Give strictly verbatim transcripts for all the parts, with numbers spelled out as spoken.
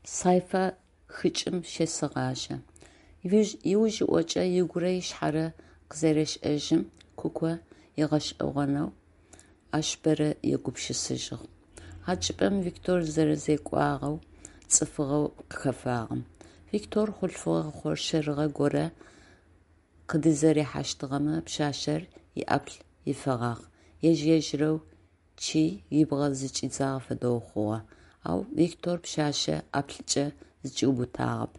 Сайфэ хыкӏым щесэгъажъэ. Ыужыӏокӏэ ыгурэ ышъхьэрэ къызэрешӏэжьым, Куко ыгъэшӏэгъонэу ащ бэрэ егупшысэжьыгъ. А чӏыпӏэм Виктор зэрэзекӏуагъэу, цӏыфыгъэу къыхэфагъэм. Виктор хъулъфыгъэ хъоршэрыгъэ горэ къыдызерихьэщтыгъэмэ, пшъашъэр иӏаплӏ ифэгъагъ, ежь-ежьырэу чъи ыбгъэ зыкӏидзагъэ фэдэу хъугъэ. Ау Виктор пшъашъэ ӏаплӏкӏэ зыкӏиубытагъэп.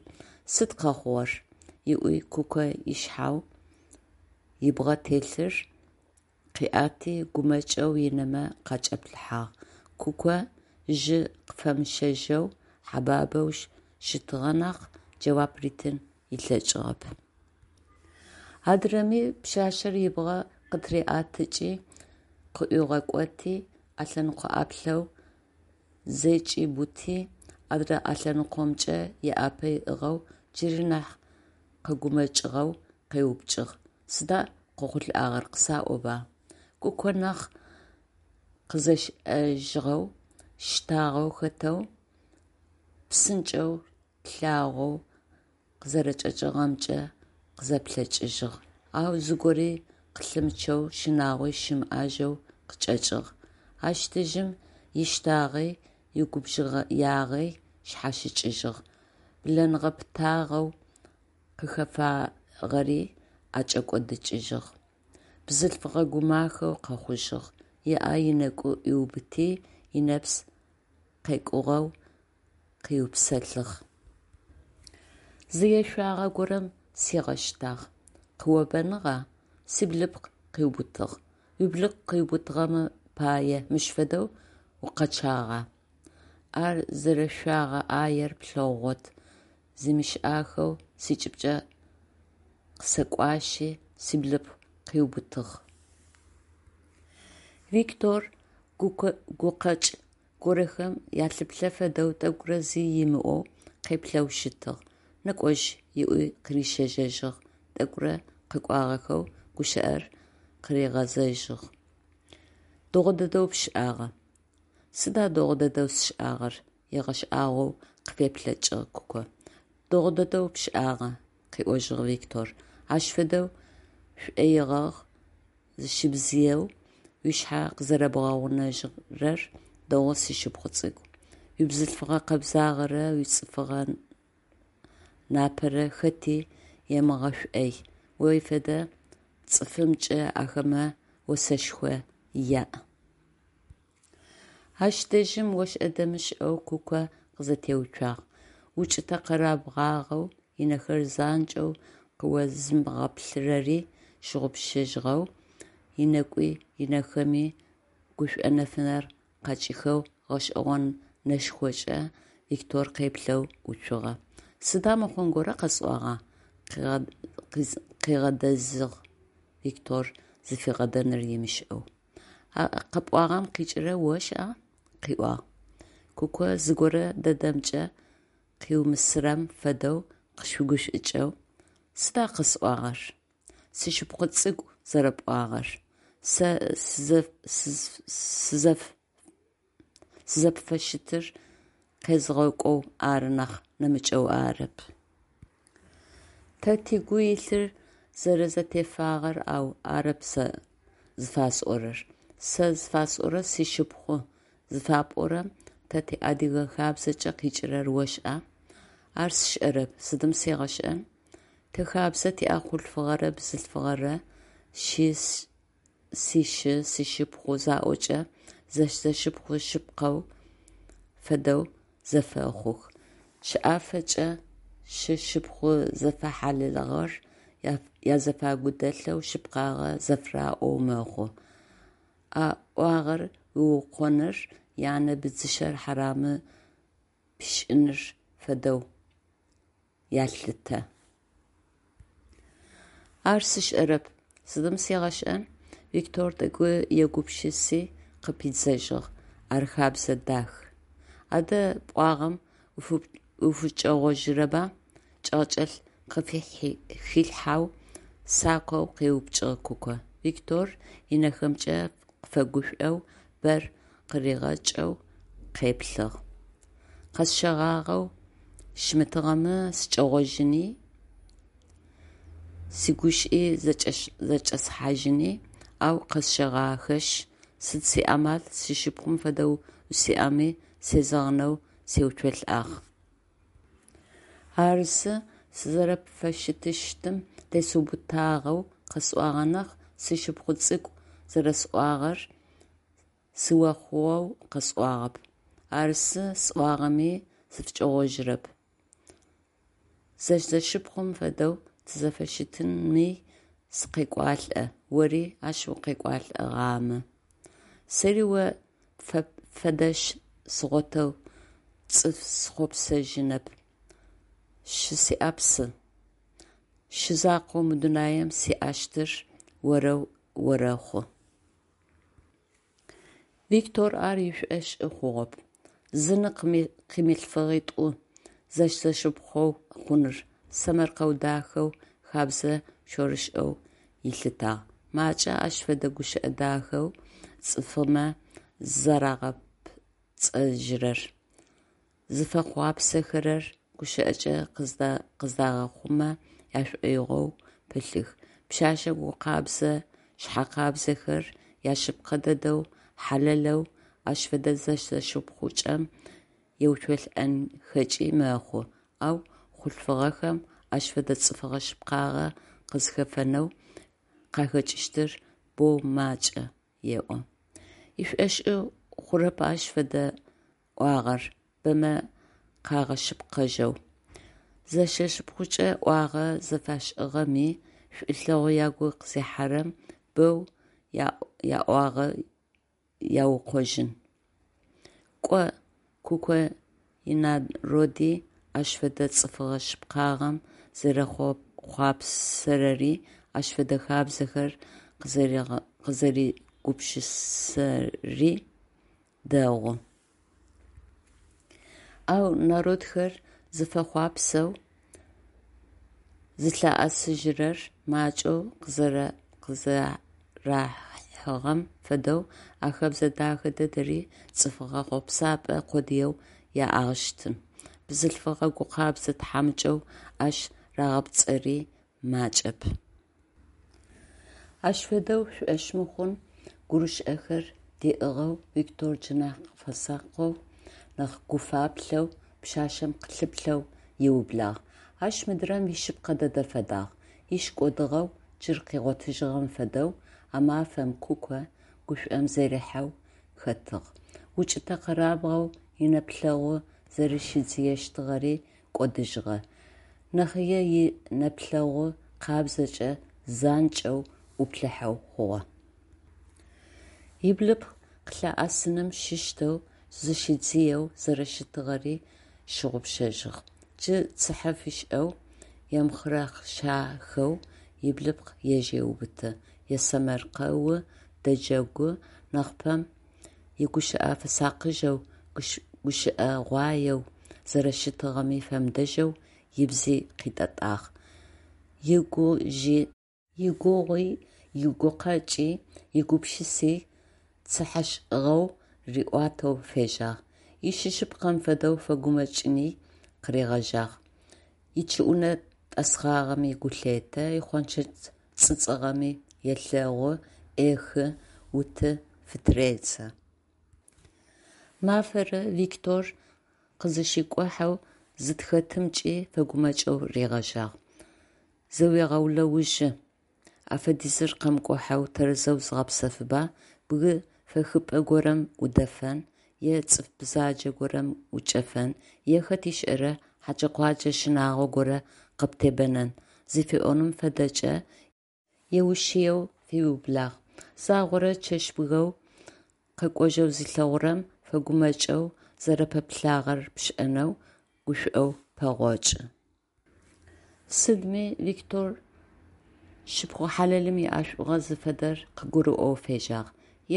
Сыд къэхъугъэр? – ыӏуи Куко ышъхьэу ыбгъэ телъыр къыӏэти, гумэкӏэу ынэмэ къакӏэплъыхьагъ. Куко жьы къыфэмыщэжьэу хьэбабэу щытыгъэ нахь, джэуап ритын ылъэкӏыгъэп. Адырэми пшъашъэр ыбгъэ къытыриӏэтыкӏи къыӏуигъэкӏоти, ӏэлъэныкъо ӏаплӏэу зэкӏиубыти, адрэ ӏэлъэныкъомкӏэ ыӏапэ ыӏыгъэу джыри нахь къэгумэкӏыгъэу къеупчӏыгъ: «Сыда къохъулӏагъэр, къысаӏоба?» Куко нахь къызэшӏэжьыгъэу, щтагъэ хэтэу, псынкӏэу лъагъоу къызэрэчӏэкӏыгъэмкӏэ къызэплъэкӏыжьыгъ, ау зыгори къылъымычъэу, щынагъуи щымыӏэжьэу къычӏэкӏыгъ. Ащ дэжьым ищтагъи игубжыгъэягъи шъхьащыкӏыжьыгъ, блэныгъэ-пытагъэу къыхэфагъэри ӏэкӏэкӏодыкӏыжьыгъ, бзылъфыгъэ гумахэу къэхъужьыгъ, ыӏэ ынэкӏу ӏуиубыти, ынэпс къекӏугъэу къыупсэлъыгъ. «Зы ешъуагъэ горэм сигъэщтагъ». Къыобэныгъа? Сиблыпкъ къыубытыгъ. Уиблыпкъ къыубытыгъэм пае мыщ фэдэу укъэчъагъа? Ар зэрешъогъэ ӏаер плъэгъугъот, зимышӏахэу скӏыбкӏэ къысэкӏуашъи сиблыпкъ къыубытыгъ. Виктор гукъэкӏ горэхэм ялъыплъэ фэдэу тӏэкӏурэ зи ымыӏоу къеплъэу щытыгъ, «Нэкӏожь» ыӏуи къырищэжьэжьыгъ, тӏэкӏурэ къэкӏуагъэхэу гущыӏэр къыригъэзэжьыгъ: «Дэгъу дэдэу пшӏагъэ». Сыда дэгъу дэдэу сшӏагъэр? – ыгъэшӏагъоу къыфеплъэкӏыгъ Куко. Дэгъу дэдэу пшӏагъэ, – къыӏожьыгъ Виктор. – Ащ фэдэу шӏоигъэ зыщыбдзыеу ушъхьэ къызэрэбгъэгъунэжьырэр дэгъу, сшыпхъу цӏыкӏу. Уибзылъфыгъэ къэбзагъэрэ уицӏыфыгъэ напэрэ хэти емыгъэшӏой, о фэдэ цӏыфымкӏэ ахэмэ осэшхо яӏ. Ащ дэжьым ошӏэ-дэмышӏэу Куко къызэтеуцуагъ, укӏытэ-къэрабгъагъэу ынэхэр занкӏэу къыозымыгъэплъырэри щыгъупшэжьыгъэу, ынэкӏуи ынэхэми гушӏо нэфынэр къакӏихэу гъэшӏэгъо нэшхокӏэ Виктор къеплъэу уцугъэ. Сыда мыхъун горэ къэсӏуагъа? – къигъэдэзыгъ Виктор зыфигъэдэнур ымышӏэу. А къэпӏуагъэм къикӏырэр ошӏа? – къыӏуагъ. Куко зыгорэ дэдэмкӏэ къыумысырэм фэдэу къыщыгушӏукӏэу: «Сыда къэсӏуагъэр?» «Сшыпхъу цӏыкӏу» зэрэпӏуагъэр. Сэ сызэпфыщытыр къезгъэкӏоу ары нахь, нэмыкӏэу арэп. Тэ тыгу илъыр зэрэзэтефагъэр, ау арэп сэ зыфасӏорэр. Сэ зыфасӏорэр «сшыпхъу» зыфапӏорэм тэ тиадыгэ хабзэкӏэ къикӏырэр ошӏа? Ар сшӏэрэп, сыдым сигъэшӏэн? Тэ хабзэ тиӏэ хъулъфыгъэрэ бзылъфыгъэрэ сшы, сшыпхъу заӏокӏэ, зэш-зэшыпхъу шъыпкъэу фэдэу зэфэхъух. Щэӏэфэкӏэ шы-шыпхъу зэфэхьалэлыгъэр язэфагу дэлъэу, шъыпкъагъэ зэфыраӏоу мэхъу. А ӏуагъэр уукъоныр, янэ быдзыщэр хьарамы пшӏыным фэдэу ялъытэ. Ар сшӏэрэп, сыдым сигъэшӏэн? Виктор тӏэкӏу егупшыси къыпидзэжьыгъ: Ар хэбзэ дах. Адэ пӏуагъэм уфыкӏэгъожьырэба? – чӏэгъчӏэлъ къыфыхилъхьэу, сакъэу къеупчӏыгъ Куко. Виктор ынэхэмкӏэ къыфэгушӏоу, бэр къыригъэкӏэу къеплъыгъ. Къэсщэгъагъэу Щымытыгъэмэ сыкӏэгъожьыни, сигущыӏи зэкӏэсхьажьыни, ау къэсщэгъахэшъ, сыд сиамал, сшыпхъум фэдэу усиӏэми сезэгъынэу сеуцолӏагъ. Арзы, сызэрэпфыщытыщтым тесыубытагъэу къэсӏуагъэ нахь, сшыпхъу цӏыкӏу зэрэсӏуагъэр сыохъоу къэсӏуагъэп. Арзы, сӏуагъэми сыфыкӏэгъожьырэп. Зэш-зэшыпхъум фэдэу тызэфыщытынми сыкъекӏуалӏэ, ори ащ укъекӏолӏэгъамэ. Сэри о пфэдэшъ сгъотэу цӏыф сыхъопсэжьынэп, шы сиӏэп сэ, шы закъоу мы дунаим сиӏэщтыр орэу орэхъу. Виктор ар ышӏошъы хъугъэп. Зы ны къымылъфыгъитӏу зэш-зэшыпхъу хъуныр сэмэркъэу дахэу, хэбзэ шъорышӏэу ылъытагъ. Макӏэ ащ фэдэ гущыӏэ дахэу цӏыфмэ зызэрагъэпцӏэжьырэр, зыфэхъуапсэхэрэр гущыӏэкӏэ къыздагъэхъумэ ашӏоигъоу пылъых. Пшъэшъэ гукъэбзэ шъхьэкъабзэхэр яшъыпкъэ дэдэу, хьалэлэу ащ фэдэ зэш-зэшыпхъукӏэм еуцолӏэнхэкӏи мэхъу, ау хъулъфыгъэхэм ащ фэдэ цӏыфыгъэ шъыпкъагъэ къызхэфэнэу къахэкӏыщтыр боу макӏэ, еӏо. Ышӏошъы хъурэп ащ фэдэ ӏуагъэр бэмэ къагъэшъыпкъэжьэу. Зэш-зэшыпхъукӏэ ӏуагъэ зэфашӏыгъэми, шӏулъэгъу ягу къызихьэрэм, боу яӏуагъэ яукъожьын. Кӏо, Куко инароди ащ фэдэ цӏыфыгъэ шъыпкъагъэм зэрехъуапсэрэри, ащ фэдэ хабзэхэр къызэригупшысэри дэгъу. Ау народхэр зыфэхъуапсэу зылъыӏэсыжьырэр макӏэу къызэрахьыгъэм фэдэу, а хэбзэ дахэ дэдэри цӏыфыгъэ хъопсапӏэ къодыеу яӏагъэщтын. Бзылъфыгъэ гукъэбзэ тхьамыкӏэу ащ рагъапцӏэри макӏэп. Ащ фэдэу шӏошъ мыхъун гурышэхэр диӏыгъэу Виктор джы нахь фэсакъэу, нахь гуфаплъэу пшъашъэм лъыплъэу ыублагъ. Ащ мыдрэм ишъыпкъэ дэдэ фэдагъ. Иш кӏодыгъэу джы къыгъотыжьыгъэм фэдэу а мафэм Куко гушӏом зэрихьэу хэтыгъ. Укӏытэ-къэрабгъэу инэплъэгъу зэрэщидзыещтыгъэри кӏодыжьыгъэ, нэхъое нэплъэгъу къабзэкӏэ занкӏэу ӏуплъыхьэу хъугъэ. Ыблыпкъ къылъыӏэсыным щыщтэу зыщидзыеу зэрэщытыгъэри щыгъупшэжьыгъ. Джы цыхьэ фишӏэу, емыхъырэхъышэхэу ыблыпкъ ежь еубыты, есэмэркъэу, дэджэгу, нахьыпэм игущыӏэ фэсакъыжьэу, гущыӏэгъуаеу зэрэщытыгъэми фэмыдэжьэу ыбзи къитӏэтӏагъ, игугъуи, игукъэкӏи, игупшыси цыхьэшӏыгъэу риӏуатэу фежьагъ, ишы шъыпкъэм фэдэу фэгумэкӏыни къыригъэжьагъ, ичӏыунэ тӏэсхъагъэми гу лъетэ, ихъончэдж цӏыцӏыгъэми елъэгъу, ӏехы, уты фытыредзэ. Мафэрэ Виктор къызыщикӏухьэу зытхэтымкӏи фэгумэкӏэу ригъэжьагъ. Зэуегъэулэужьы, а фэдизыр къэмыкӏухьэу тэрэзэу зыгъэпсэфыба, бгы фэхыпӏэ горэм удэфэн, е цӏыф бзаджэ горэм ӏукӏэфэн, е хэт ышӏэра, хьэкӏэ-къуакӏэ щынагъо горэ къыптебэнэн зыфиӏоным фэдэкӏэ еушъыеу фиублагъ. Загъорэ чэщбгэу къэкӏожьэу зилъэгъурэм, фэгумэкӏэу, зэрэпэплъагъэр пшӏэнэу, гушӏоу пэгъокӏы. Сыдми Виктор шыпхъу хьалэлым иӏэшӏугъэ зыфэдэр къыгурыӏоу фежьагъ.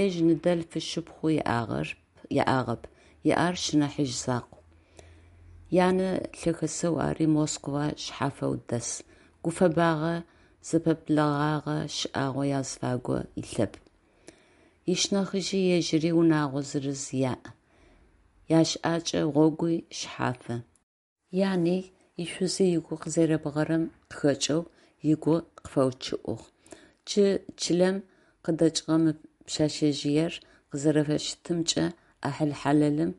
Ежь ныдэлъф-шыпхъу иӏагъэп, иӏэр ышнахьыжъ закъу. Янэ лъэхэсэу ари Москва шъхьафэу дэс, гуфэбагъэ, зэпэблэгъагъэ шӏагъо азыфагу илъэп. Ышнахьыжъи ежьыри унэгъо зырыз яӏ, ящыӏэкӏэ гъогуи шъхьафы. Яни, ишъузи ыгу къызэребгъэрэм къыхэкӏэу ыгу къыфэучъыӏыгъ. Джы чылэм къыдэкӏыгъэ мы пшъэшъэжъыер къызэрэфыщытымкӏэ ӏахьыл хьалэлым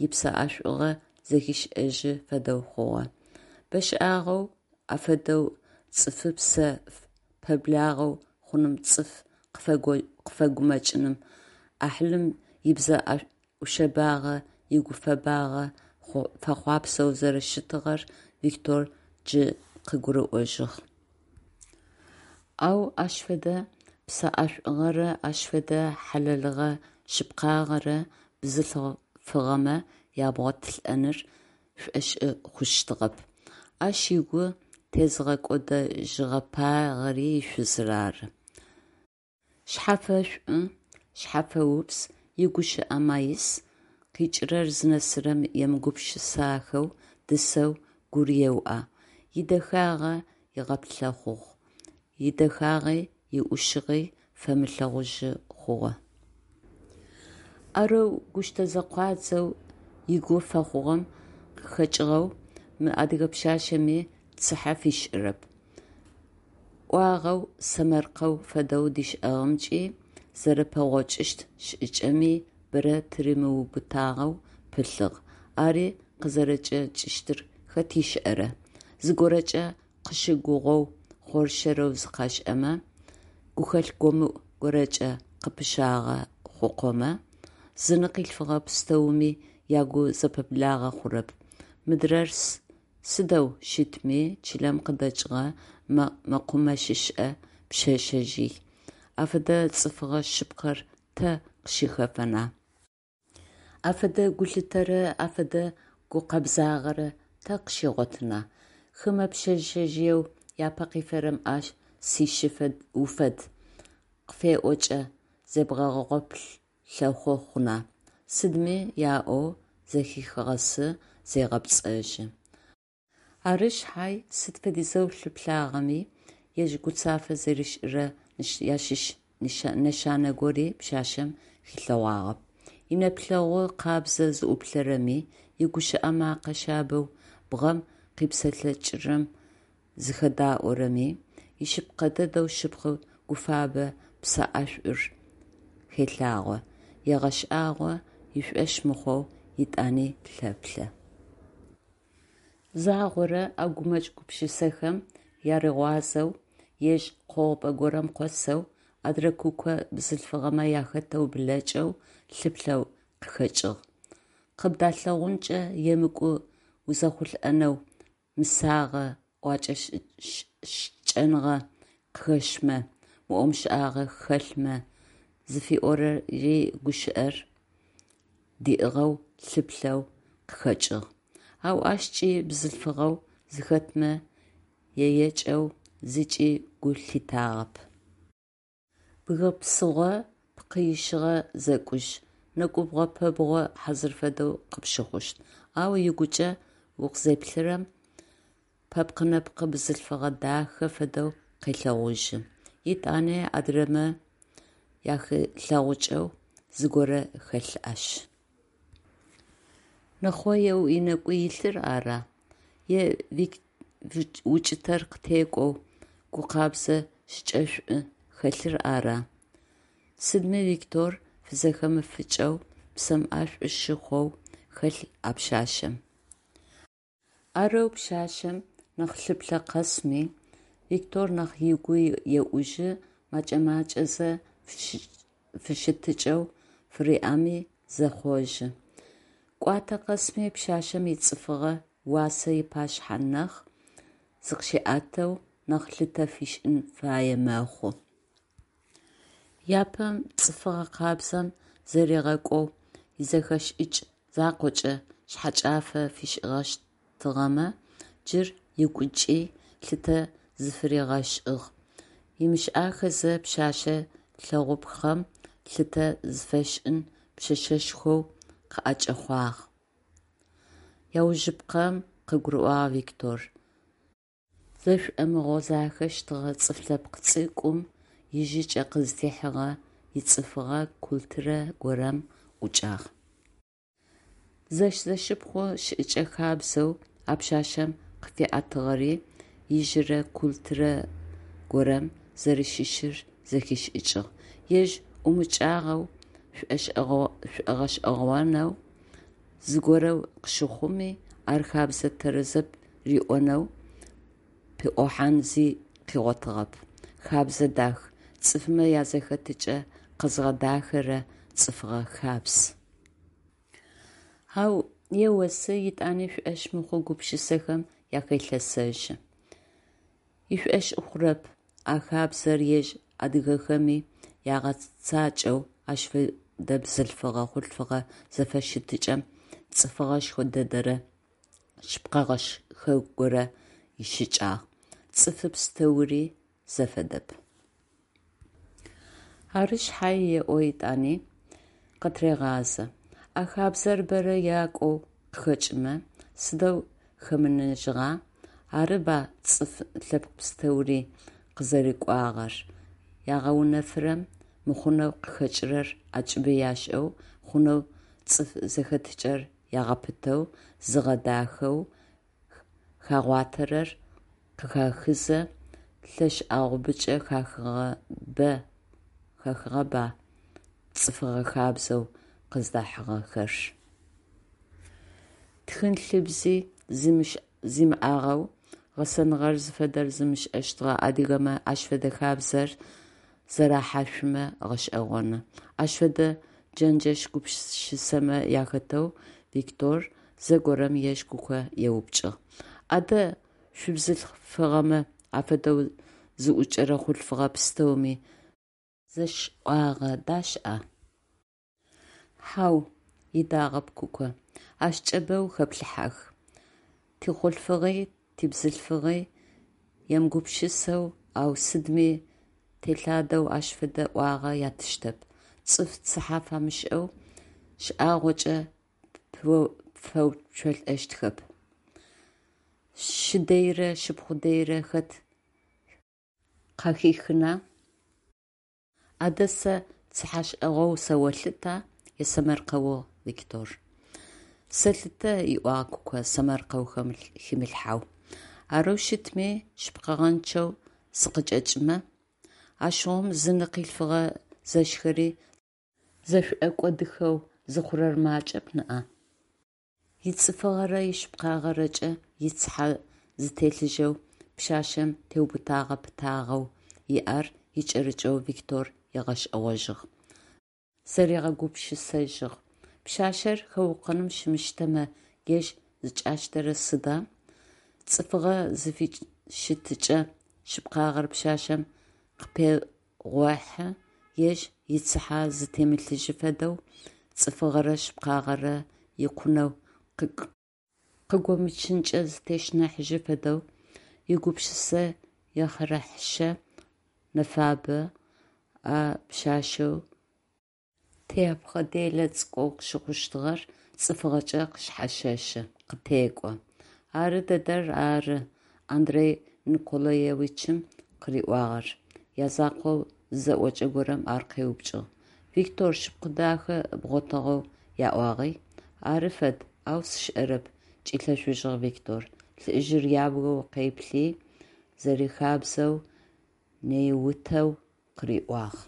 ыпсэ ӏэшӏугъэ зэхишӏэжьы фэдэу хъугъэ. Бэшӏагъэу афэдэу цӏыфыпсэ пэблагъэ хъуным, цӏыф къыфэгумэкӏыным, ӏахьылым ыбзэ ӏушъэбагъэ, игуфэбагъэ фэхъуапсэу зэрэщытыгъэр Виктор джы къыгурыӏожьыгъ. Ау ащ фэдэ псэӏэшӏугъэрэ ащ фэдэ хьалэлыгъэ-шъыпкъагъэрэ бзылъфыгъэмэ ябгъотылӏэныр пшӏошъы хъущтыгъэп. Ащ ыгу тезыгъэкӏодэжьыгъэпагъэри шъузыр ары. Шъхьэфэшӏу, шъхьэфэупс, игущыӏэ маис, къикӏырэр зынэсырэм емыгупшысахэу дысэу гур еуӏэ, идэхагъэ ыгъэплъэхъугъ, идэхагъи иӏушыгъи фэмылъэгъужьы хъугъэ. Арэу гущтэзэкъуадзэу ыгу фэхъугъэм къыхэкӏыгъэу мы адыгэ пшъашъэми цыхьэ фишӏырэп, ӏуагъэу сэмэркъэу фэдэу дишӏыгъэмкӏи, зэрэпэгъокӏыщт шӏыкӏэми бэрэ тыримыубытагъэу пылъыгъ, ари къызэрэчӏэкӏыщтыр хэт ышӏэра, зыгорэкӏэ къыщыгугъэу хъоршэрэу зыкъашӏэмэ, гухэлъ гомыӏу горэкӏэ къыпыщагъэ хъукъомэ, зыны къылъфыгъэ пстэуми ягу зэпэблагъэ хъурэп, мыдрэр сыдэу щытми чылэм къыдэкӏыгъэ мэкъумэщышӏэ пшъэшъэжъый, афэдэ цӏыфыгъэ шъыпкъэр тэ къыщыхэфэна? Афэдэ гулъытэрэ афэдэ гукъэбзагъэрэ тэ къыщигъотына? Хымэ пшъэшъэжъыеу япэ къифэрэм «а сишы уфэд» къыфеӏокӏэ зебгъэгъэплъэхъу хъуна? Сыдми яӏоу зэхихыгъэсы, зегъэпцӏэжьы. Ары шъхьай, сыд фэдизэу лъыплъагъэми, ежь гуцафэ зэришӏырэ ащыщ нэшанэ гори пшъашъэм хилъэгъуагъэп. Инэплъэгъу къабзэ зыӏуплъэрэми, игущыӏэ мэкъэ шъабэу бгъэм къипсэлъэкӏырэм зыхэдаӏорэми, ишъыпкъэ дэдэу щыпкъэ гуфэбэ псэ ӏэшӏур хелъагъо, егъэшӏагъо, ышӏошъ мыхъоу етӏани лъэплъэ. Загъорэ а гумэкӏ-гупшысэхэм ярыгъуазэу, ежь къогъупӏэ горэм къосэу, адрэ куко бзылъфыгъэмэ ахэтэу блэкӏэу, лъыплъэу къыхэкӏыгъ. Къыбдалъэгъункӏэ емыкӏу узэхъулӏэнэу, мысагъэ, ӏокӏэ-шӏыкӏэныгъэ къыхэщмэ, мыӏо-мышӏагъэ хэлъмэ зыфиӏори гущыӏэр диӏыгъэу лъыплъэу къыхэкӏыгъ, ау ащкӏи бзылъфыгъэу зыхэтмэ яекӏэу зыкӏи гу лъитагъэп. Бгы псыгъо, пкъы ищыгъэ зэкӏужь, нэкӏубгъо-пэбгъо хьазыр фэдэу къыпщыхъущт, ау ыгукӏэ укъызеплъырэм, пэпкъ-нэпкъы бзылъфыгъэ дахэ фэдэу къелъэгъужьы. Етӏани адрэмэ яхилъэгъукӏэу зыгорэ хэлъ ащ. Нэхъоеу ынэгу илъыр ара? Е укӏытэр къытекӏоу гукъэбзэ шӏыкӏэшӏу хэлъыр ара? Сыдми Виктор фызэхэмыфыкӏэу, псэм ӏэшӏу щыхъоу хэлъ а пшъашъэм. Арэу пшъашъэм нахь лъыплъэ къэсми, Виктор нахь ыгу еӏужьы, мэкӏэ-макӏэзэ фыщытыкӏэу фыриӏэми зехъожьы. Кӏуатэ къэсми пшъашъэм ицӏыфыгъэ уасэ ыпашъхьэ нахь зыкъыщиӏэтэу, нахь лъытэ фишӏын фае мэхъу. Апэм цӏыфыгъэ къабзэм зэригъэкӏоу изэхэшӏыкӏ закъокӏэ шъхьэкӏафэ фишӏыщтыгъэмэ, джы ыгукӏи лъытэ зыфыригъэшӏыгъ, ымышӏахэзэ пшъэшъэ лъэгъупхъэм лъытэ зыфэшӏын пшъэшъэшхоу къыӏэкӏэхъуагъ, аужыпкъэм къыгурыӏуагъ Виктор, зэшӏомыгъозахэщтыгъэ цӏыф лъэпкъ цӏыкӏум ижъыкӏэ къыздихьыгъэ ицӏыфыгъэ культурэ горэм ӏукӏагъ. Зэш-зэшыпхъу щыӏэкӏэ хабзэу А пшъашъэм къыфиӏэтыгъэри ижъырэ культурэ горэм зэрэщыщыр зэхишӏыкӏыгъ, ежь ӏумыкӏагъэу, шӏогъэшӏэгъонэу зыгорэ къыщыхъуми, ар хэбзэ тэрэзэп риӏонэу пыӏухьан зи къыгъотыгъэп: хэбзэ дах, цӏыфмэ язэхэтыкӏэ къэзыгъэдэхэрэ цӏыфыгъэ хабз. Ау еусы, етӏани шӏошъ мыхъу гупшысэхэм ахелъэсэжьы. Ышӏошъ хъурэп а хабзэр ежь адыгэхэми ягъэцакӏэу Ащ фэдэ бзылъфыгъэ-хъулъфыгъэ зэфыщытыкӏэм цӏыфыгъэшхо дэдэрэ шъыпкъэгъэшхорэ ищыкӏагъ. Цӏыфы пстэури зэфэдэп. Ары шъхьае, еӏо етӏани, къытырегъазэ, а хабзэр бэрэ якӏоу къыхэкӏымэ, сыдэу хэмыныжьыгъа, арыба цӏыф лъэпкъ пстэури къызэрыкӏуагъэр, ягъэунэфырэм мыхъунэу къыхэкӏырэр ӏэкӏыбы яшӏэу, хъунэу цӏыф зэхэтыкӏэр ягъэпытэу, зыгъэдахэу хагъуатэрэр къыхахызэ, лӏэшӏэгъубэкӏэ хахыгъэба цӏыфыгъэ хабзэу къыздахьыгъэхэр? Тхын-лъыбзи зимыӏагъэу, гъэсэныгъэр зыфэдэр зымышӏэщтыгъэ адыгэмэ ащ фэдэ хабзэр зэрахьашъумэ гъэшӏэгъоны. Ащ фэдэ джэнджэш гупшысэмэ ахэтэу Виктор зэгорэм ежь Куко еупчӏыгъ: «Адэ шъубзылъфыгъэмэ афэдэу зыӏукӏэрэ хъулъфыгъэ пстэуми зэшӏуагъэ дашӏа?» «Хьау, – ыдагъэп Куко, – ащкӏэ бэу хэплъыхьэх. Тихъулъфыгъи тибзылъфыгъи емыгупшысэу ау сыдми телъадэу ащ фэдэ ӏуагъэ яттыщтэп. Цӏыф цыхьэ фэмышӏэу шӏагъокӏэ пфеуцолӏэщтхэп. Шы дэйрэ шыпхъу дэйрэ хэт къахихына? Адэ сэ цыхьэшӏэгъоу сыолъыта? – есэмэркъэугъ Виктор. Сэлъытэ, – ыӏуагъ Куко сэмэркъэу химылъхьэу. Арэу щытми, шъыпкъэгъэнчъэу сыкъычӏэкӏымэ? Ащыгъум зы ны къилъфыгъэ зэшхэри зэшӏокӏодыхэу зыхъурэр макӏэп ныӏа? Ицӏыфыгъэрэ ишъыпкъагъэрэкӏэ ицыхьэ зытелъыжьэу пшъашъэм теубытэгъэ-пытагъэу иӏэр икӏэрыкӏэу Виктор ыгъэшӏэгъожьыгъ, зэригъэгупшысэжьыгъ: пшъашъэр хэукъоным щымыщтэмэ, ежь зыкӏащтэрэр сыда? Цӏыфыгъэ зэфыщытыкӏэ шъыпкъагъэр пшъашъэм къыпегъохьы, ежь ицыхьэ зытемылъыжьы фэдэу, цӏыфыгъэрэ шъыпкъагъэрэ икъунэу къыгомычынкӏэ зытещыныхьажьы фэдэу игупшысэ ехъырэхъышэ нэфабэ а пшъашъэу тэепхъэ делэ цӏыкӏоу къыщыхъущтыгъэр цӏыфыгъэкӏэ къышъхьащэщы, къытекӏо. Ары дэдэр ары Андрей Николаевичым къыриӏуагъэр, язакъоу зызэӏокӏэ горэм ар къеупчӏыгъ: «Виктор, шыпхъу дахэ бгъотыгъэу яӏуагъи?» Ары фэд, ау сшӏэрэп, – кӏилъэшъужьыгъ Виктор, лӏыжъыр ябгэу къеплъи, зэрихабзэу нэиутэу къыриӏуагъ.